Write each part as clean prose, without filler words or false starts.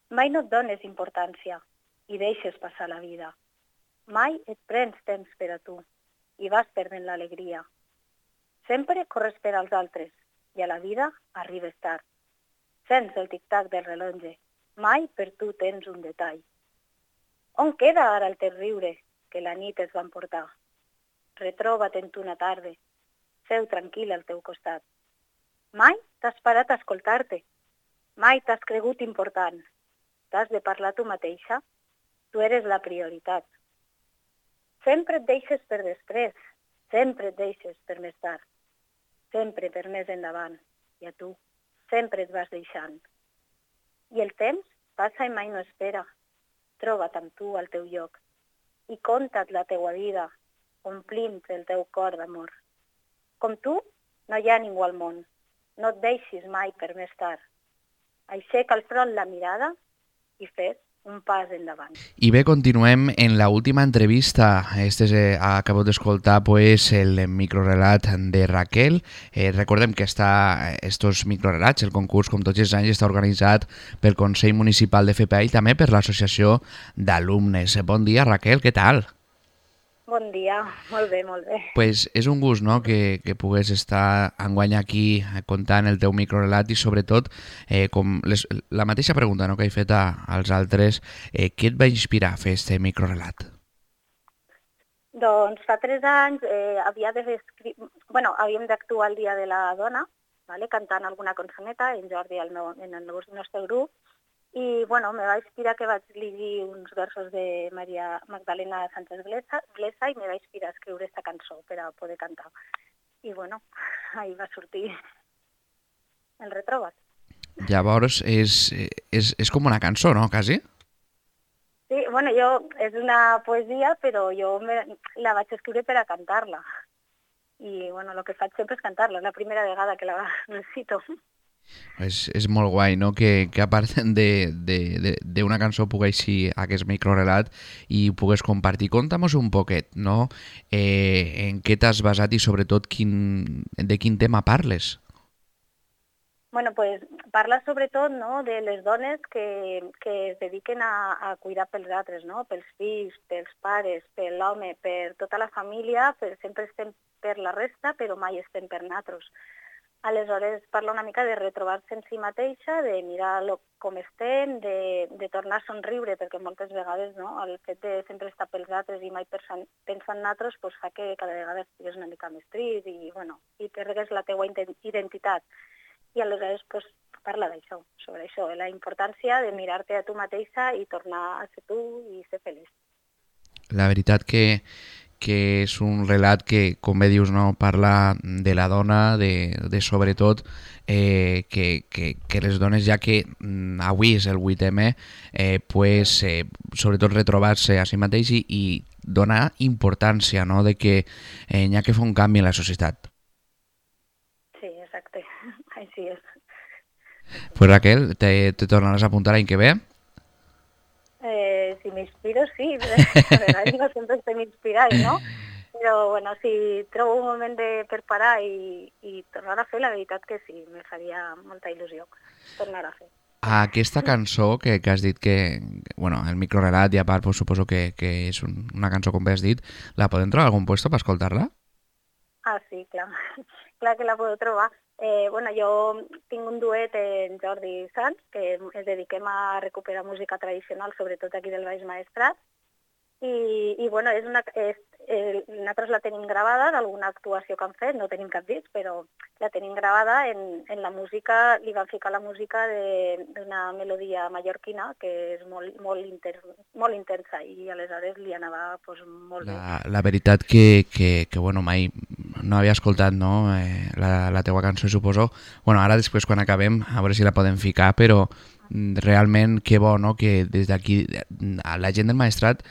Mai no et dones importància i deixes passar la vida. Mai et prens temps per a tu i vas perdent l'alegria. Sempre corres per als altres i a la vida arribes tard. Sents el tic-tac del rellotge. Mai per tu tens un detall. On queda ara el teu riure que la nit es va emportar? Retroba't en tu una tarda. Seu tranquil al teu costat. Mai t'has parat a escoltar-te. Mai t'has cregut important. T'has de parlar tu mateixa. Tu eres la prioritat. Sempre et deixes per després. Sempre et deixes per més tard. Sempre per més endavant. I a tu sempre et vas deixant. I el temps passa i mai no espera. Troba't amb tu al teu lloc i conta't la teua vida, omplint el teu cor d'amor. Com tu, no hi ha ningú al món. No et deixis mai per més tard. Aixeca al front la mirada i fes un pas endavant. I bé, continuem en la última entrevista. Acabo d'escoltar pues, el microrelat de Raquel. Recordem que estos microrelats, el concurs, com tots els anys, està organitzat pel Consell Municipal de FPA i també per l'Associació d'Alumnes. Bon dia, Raquel, què tal? Bon dia, molt bé, molt bé. Pues és un gust, no?, que pugues estar enguany aquí contant el teu microrelat i sobretot la mateixa pregunta, no?, que he fet als altres, què et va inspirar a fer aquest microrelat? Doncs fa 3 anys havíem d'actuar el Dia de la Dona, vale? Cantant alguna cançoneta, en Jordi en el nostre grup, i me va inspirar que vaig llegir uns versos de Maria Magdalena Sánchez Glesa i me va inspirar a escriure aquesta cançó per a poder cantar. I ahí va sortir el Retroba't. Llavors és com una cançó, no, quasi? Sí, és una poesia, però jo la vaig escriure per a cantar-la. I el que faig sempre és cantar-la, és la primera vegada que la recito. És molt guai, no?, que a part d'una cançó pugueixi aquest microrelat i ho pugues compartir. Conta'm-nos un poquet, no?, en què t'has basat i sobretot de quin tema parles. Parla sobretot, no, de les dones que es dediquen a cuidar pels altres, no? Pels fills, pels pares, per l'home, per tota la família, sempre estem per la resta, però mai estem per nosaltres. Aleshores parla una mica de retrobar-se en si mateixa, de mirar com estem, de tornar a somriure, perquè moltes vegades el fet de sempre estar pels altres i mai pensar en nosaltres fa que cada vegada estigues una mica més trist i perdegues la teua identitat. I aleshores parla d'això, sobre això, la importància de mirar-te a tu mateixa i tornar a ser tu i ser feliç. La veritat que és un relat que, com bé dius, no, parla de la dona, de sobretot que les dones, ja que avui és el 8M, sobretot retrobar-se a si mateix i donar importància, no?, de que hi ha que fer un canvi en la societat. Sí, exacte, així és. Pues Raquel, te tornaràs a apuntar l'any que ve? Si m'inspiro, sí. A vegades no sempre estem inspirats, no? Però, si trobo un moment per parar i tornar a fer, la veritat que sí, me faria molta il·lusió tornar a fer. Aquesta cançó que has dit que, el microrelat i a part suposo que és una cançó com bé has dit, la podem trobar a algun lloc per escoltar-la? Sí, clar. Clar que la puedo trobar. Jo tinc un duet en Jordi Sanz, que ens dediquem a recuperar música tradicional, sobretot aquí del Baix Maestrat, i nosaltres la tenim gravada d'alguna actuació que han fet, no tenim cap disc, però la tenim gravada en la música, li van ficar la música d'una melodia mallorquina que és molt intensa i aleshores li anava molt bé. La veritat que mai no havia escoltat, no, la teua cançó, suposo. Ara després quan acabem a veure si la podem ficar, però realment que bo, no?, que des d'aquí la gent del Maestrat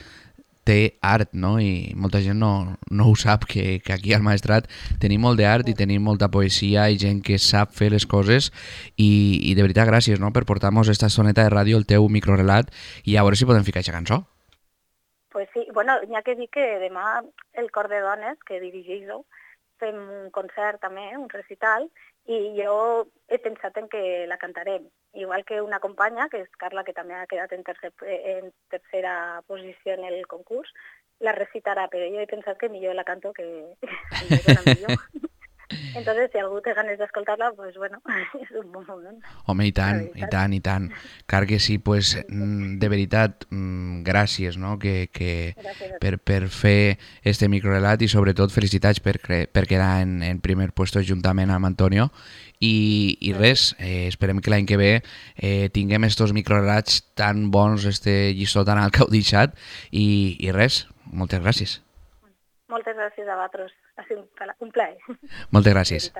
té art, no?, i molta gent no ho sap, que aquí al Maestrat tenim molt d'art i tenim molta poesia i gent que sap fer les coses i de veritat gràcies, no?, per portar-nos esta soneta de ràdio, el teu microrelat, i a veure si podem ficar aquesta cançó. Pues sí, n'hi ha que dir que demà el Cor de Dones, que dirigeixo, fem un concert també, un recital, i jo he pensat en que la cantarem. Igual que una companya, que és Carla, que també ha quedat en tercera posició en el concurs, la recitarà, però jo he pensat que millor la canto que millor. Entonces, si algú té ganes d'escoltar-la, pues bueno, és un bon moment. Home, i tant, i tant, i tant. Car que sí, pues, de veritat, gràcies, no? Per fer este microrelat i sobretot felicitats per quedar en primer puesto juntament amb Antonio. I res, esperem que l'any que ve tinguem estos microrelats tan bons, este lliçó tan alt que heu deixat i res, moltes gràcies. Moltes gràcies a vosaltres. Ha sigut un plaer. Moltes gràcies.